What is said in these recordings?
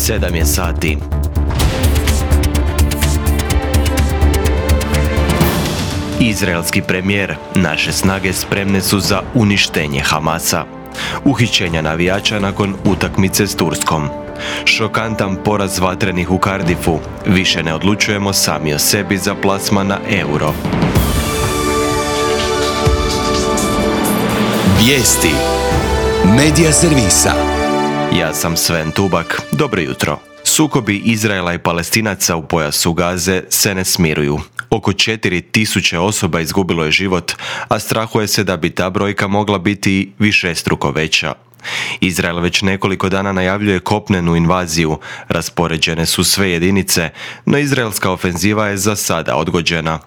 7 je sati. Izraelski premijer: naše snage spremne su za uništenje Hamasa. Uhićenja navijača nakon utakmice s Turskom. Šokantan poraz vatrenih u Cardiffu. Više ne odlučujemo sami o sebi za plasman na euro. Vijesti Medija servisa. Ja sam Sven Tubak. Dobro jutro. Sukobi Izraela i Palestinaca u pojasu Gaze se ne smiruju. Oko 4.000 osoba izgubilo je život, a strahuje se da bi ta brojka mogla biti višestruko veća. Izrael već nekoliko dana najavljuje kopnenu invaziju, raspoređene su sve jedinice, no izraelska ofenziva je za sada odgođena.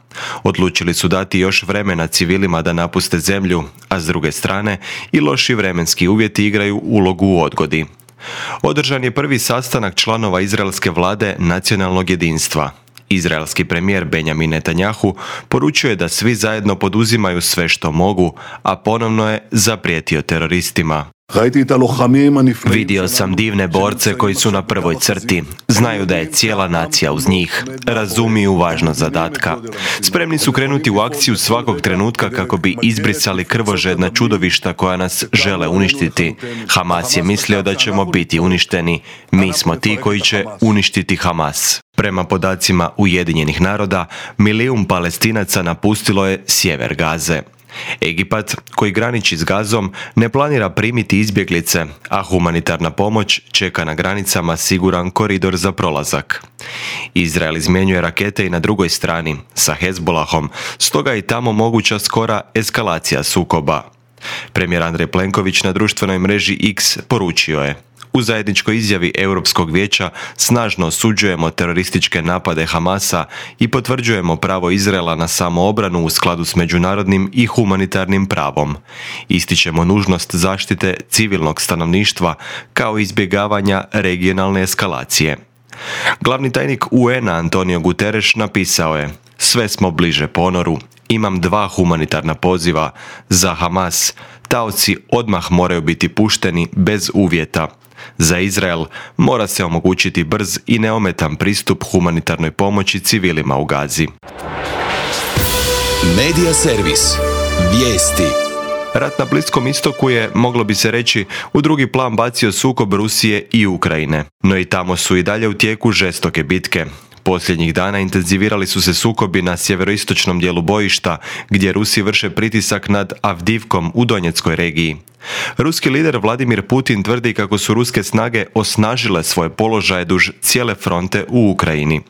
Odlučili su dati još vremena civilima da napuste zemlju, a s druge strane i loši vremenski uvjeti igraju ulogu u odgodi. Održan je prvi sastanak članova izraelske vlade nacionalnog jedinstva. Izraelski premijer Benjamin Netanjahu poručuje da svi zajedno poduzimaju sve što mogu, a ponovno je zaprijetio teroristima. Vidio sam divne borce koji su na prvoj crti. Znaju da je cijela nacija uz njih. Razumiju važnost zadatka. Spremni su krenuti u akciju svakog trenutka kako bi izbrisali krvožedna čudovišta koja nas žele uništiti. Hamas je mislio da ćemo biti uništeni. Mi smo ti koji će uništiti Hamas. Prema podacima Ujedinjenih naroda, 1 milijun Palestinaca napustilo je sjever Gaze. Egipat, koji graniči s Gazom, ne planira primiti izbjeglice, a humanitarna pomoć čeka na granicama siguran koridor za prolazak. Izrael izmjenjuje rakete i na drugoj strani, sa Hezbolahom, stoga je i tamo moguća skora eskalacija sukoba. Premijer Andrej Plenković na društvenoj mreži X poručio je: u zajedničkoj izjavi Europskog vijeća snažno osuđujemo terorističke napade Hamasa i potvrđujemo pravo Izraela na samoobranu u skladu s međunarodnim i humanitarnim pravom. Ističemo nužnost zaštite civilnog stanovništva kao izbjegavanja regionalne eskalacije. Glavni tajnik UN-a Antonio Guterres napisao je: sve smo bliže ponoru. Imam 2 humanitarna poziva za Hamas. Taoci odmah moraju biti pušteni bez uvjeta. Za Izrael mora se omogućiti brz i neometan pristup humanitarnoj pomoći civilima u Gazi. Medija servis. Vijesti. Rat na Bliskom istoku je, moglo bi se reći, u drugi plan bacio sukob Rusije i Ukrajine. No i tamo su i dalje u tijeku žestoke bitke. Posljednjih dana intenzivirali su se sukobi na sjeveroistočnom dijelu bojišta, gdje Rusi vrše pritisak nad Avdivkom u Donjeckoj regiji. Ruski lider Vladimir Putin tvrdi kako su ruske snage osnažile svoje položaje duž cijele fronte u Ukrajini.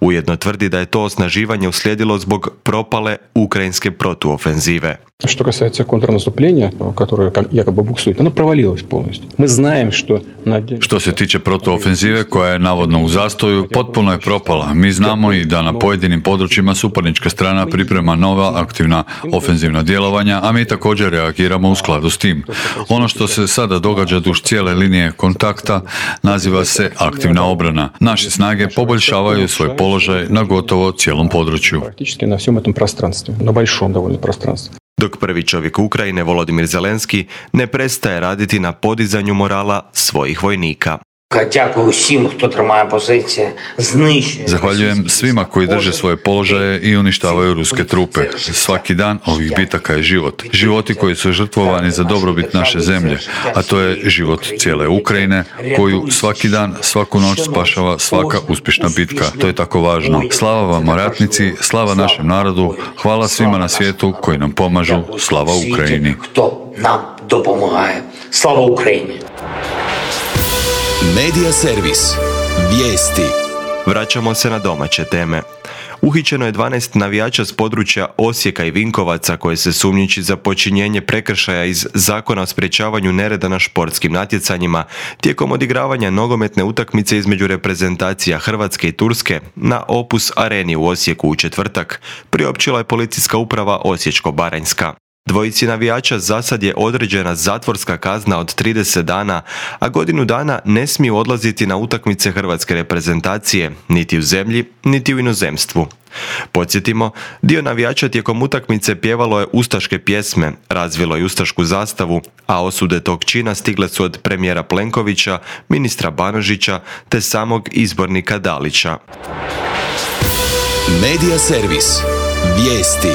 Ujedno tvrdi da je to osnaživanje uslijedilo zbog propale ukrajinske protuofenzive. Что касается контрнаступления, которое якобы буксует, оно провалилось полностью. Мы знаем, что... Što se tiče protuofenzive koja je navodno u zastoju, potpuno je propala. Mi znamo i da na pojedinim područjima suparnička strana priprema nova aktivna ofenzivna djelovanja, a mi također reagiramo u skladu s tim. Ono što se sada događa duž cijele linije kontakta naziva se aktivna obrana. Naše snage poboljšavaju svoj položaj na gotovo cijelom području. Praktički na всем этом пространстве, на большом довольно пространстве. Dok prvi čovjek Ukrajine, Volodymyr Zelenski, ne prestaje raditi na podizanju morala svojih vojnika. Zahvaljujem svima koji drže svoje položaje i uništavaju ruske trupe. Svaki dan ovih bitaka je život. Životi koji su žrtvovani za dobrobit naše zemlje, a to je život cijele Ukrajine, koju svaki dan, svaku noć spašava svaka uspješna bitka. To je tako važno. Slava vam, ratnici, slava našem narodu, hvala svima na svijetu koji nam pomažu, slava Ukrajini. Slava Ukrajini. Medija servis. Vijesti. Vraćamo se na domaće teme. Uhićeno je 12 navijača s područja Osijeka i Vinkovaca koje se sumnjiči za počinjenje prekršaja iz Zakona o sprječavanju nereda na športskim natjecanjima tijekom odigravanja nogometne utakmice između reprezentacija Hrvatske i Turske na Opus areni u Osijeku u četvrtak, priopćila je policijska uprava Osječko-baranjska. Dvojici navijača zasad je određena zatvorska kazna od 30 dana, a godinu dana ne smiju odlaziti na utakmice hrvatske reprezentacije, niti u zemlji, niti u inozemstvu. Podsjetimo, dio navijača tijekom utakmice pjevalo je ustaške pjesme, razvilo je ustašku zastavu, a osude tog čina stigle su od premijera Plenkovića, ministra Banožića te samog izbornika Dalića. Medija servis. Vijesti.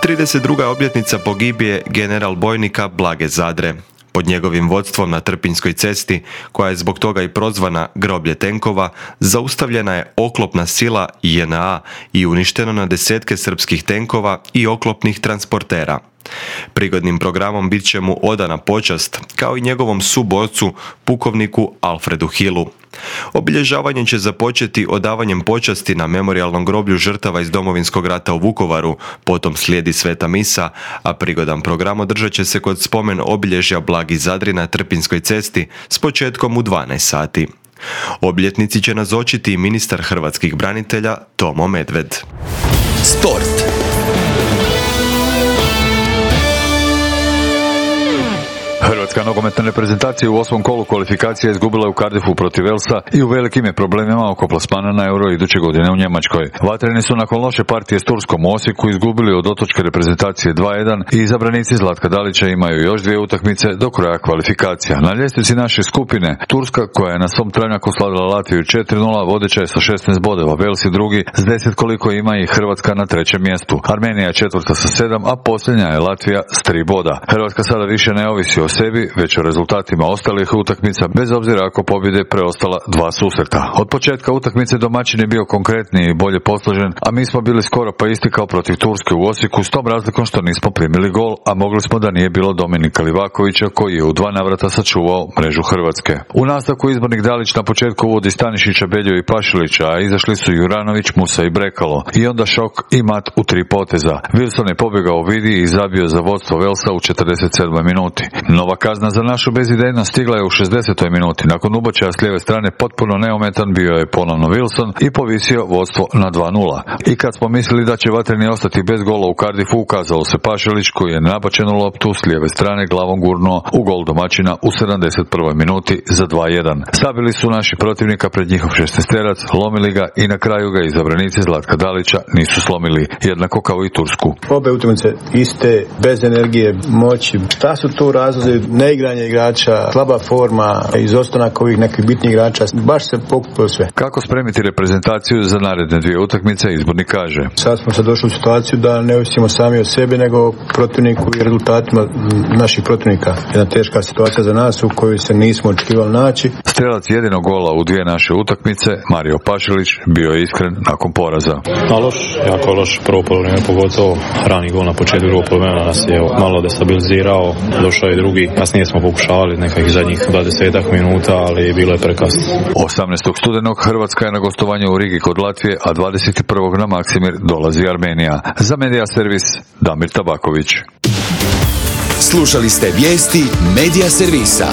32. obljetnica pogibije general bojnika Blage Zadre. Pod njegovim vodstvom na Trpinjskoj cesti, koja je zbog toga i prozvana groblje tenkova, zaustavljena je oklopna sila JNA i uništeno na desetke srpskih tenkova i oklopnih transportera. Prigodnim programom bit će mu odana počast, kao i njegovom suborcu, pukovniku Alfredu Hillu. Obilježavanje će započeti odavanjem počasti na memorijalnom groblju žrtava iz Domovinskog rata u Vukovaru, potom slijedi sveta misa, a prigodan program održat će se kod spomen obilježja Blagi Zadri na Trpinjskoj cesti s početkom u 12 sati. Obljetnici će nazočiti i ministar hrvatskih branitelja Tomo Medved. Sport. Hrvatska nogometna reprezentacija u 8. kolu kvalifikacija izgubila je u Cardiffu protiv Walesa i u velikim je problemima oko plasmana na Euro iduće godine u Njemačkoj. Vatreni su nakon loše partije s Turskom u Osijeku izgubili od otočke reprezentacije 2:1 i izabranici Zlatka Dalića imaju još 2 utakmice do kraja kvalifikacija. Na ljestvici naše skupine Turska, koja je na svom travnjaku slavila Latviju 4:0, vodeća je sa 16 bodova, Wales je drugi s 10 koliko ima i Hrvatska na 3. mjestu. Armenija je 4. sa 7, a posljednja je Latvija s 3 boda. Hrvatska sada više ne ovisi o sebi, već o rezultatima ostalih utakmica, bez obzira ako pobjede preostala 2 susreta. Od početka utakmice domaćin je bio konkretniji i bolje posložen, a mi smo bili skoro pa isti kao protiv Turske u Osijeku, s tom razlikom što nismo primili gol, a mogli smo da nije bilo Dominika Livakovića koji je u 2 navrata sačuvao mrežu Hrvatske. U nastavku izbornik Dalić na početku uvodi Stanišića, Belju i Pašilića, a izašli su Juranović, Musa i Brekalo. I onda šok i mat u 3 poteza. Wilson je pobjegao vidi i zabio za vodstvo Walesa u 47. minuti. Nova kazna za našu bezidejnost stigla je u 60. minuti. Nakon ubočaja s lijeve strane potpuno neometan bio je ponovno Wilson i povisio vodstvo na 2:0. I kad smo mislili da će vatreni ostati bez gola u Cardiffu, ukazalo se Pašilić koji je nabačenu loptu s lijeve strane glavom gurnuo u gol domaćina u 71. minuti za 2:1. Sabili su naši protivnika pred njihov 16-terac, lomili ga i na kraju ga izabranici Zlatka Dalića nisu slomili, jednako kao i Tursku. Obe utakmice iste, bez energije, moći. Šta su tu razlozi? Neigranje igrača, slaba forma, izostanak ovih nekih bitnih igrača, baš se pokupilo sve. Kako spremiti reprezentaciju za naredne 2 utakmice, izbornik kaže. Sad smo se došli u situaciju da ne ovisimo sami o sebi, nego protivniku i rezultatima naših protivnika. Jedna teška situacija za nas u kojoj se nismo očekivali naći. Strelac jedinog gola u 2 naše utakmice, Mario Pašilić, bio je iskren nakon poraza. Jako loš prvo poluvreme, pogotovo rani gol na početku drugog poluvremena nas je malo destabilizirao, došao je drugi. Kasnije smo pokušavali nekakvih zadnjih 20 minuta, ali bilo je prekasno. 18. studenog Hrvatska je na gostovanju u Rigi kod Latvije, a 21. na Maksimir dolazi Armenija. Za Medija servis Damir Tabaković. Slušali ste vijesti Medija servisa.